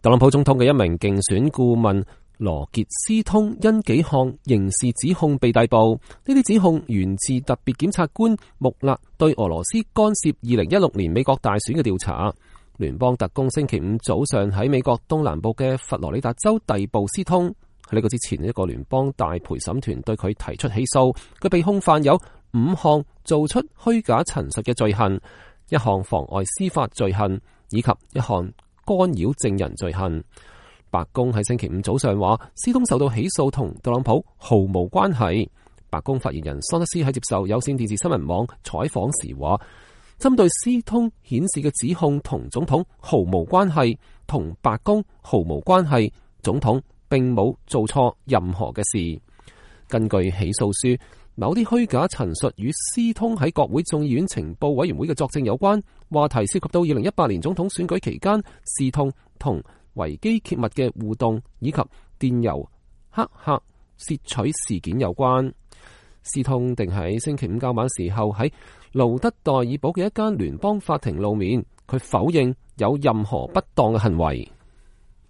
特朗普總統嘅一名競選顧問羅傑斯通因幾項刑事指控被逮捕，呢啲指控源自特別檢察官穆勒對俄羅斯干涉2016年美國大選嘅調查。聯邦特工星期五早上喺美國東南部嘅佛羅里達州逮捕斯通。喺呢個之前，一個聯邦大陪審團對佢提出起訴，佢被控犯有5項做出虛假陳述嘅罪行，一項妨礙司法罪行，以及一項干擾證人罪行。白宮喺星期五早上話，斯通受到起訴同特朗普毫無關係。白宮發言人桑德斯喺接受有線電視新聞網採訪時話，針對斯通顯示嘅指控同總統毫無關係，同白宮毫無關係，總統並冇做錯任何嘅事。根據起訴書，某啲虛假陳述與斯通喺國會眾議院情報委員會嘅作證有關，話題涉及到2018年總統選舉期間斯通同維基揭密嘅互動，以及電郵黑客竊取事件有關。斯通定喺星期五較晚時候喺盧德代爾堡嘅一間聯邦法庭露面，佢否認有任何不當嘅行為。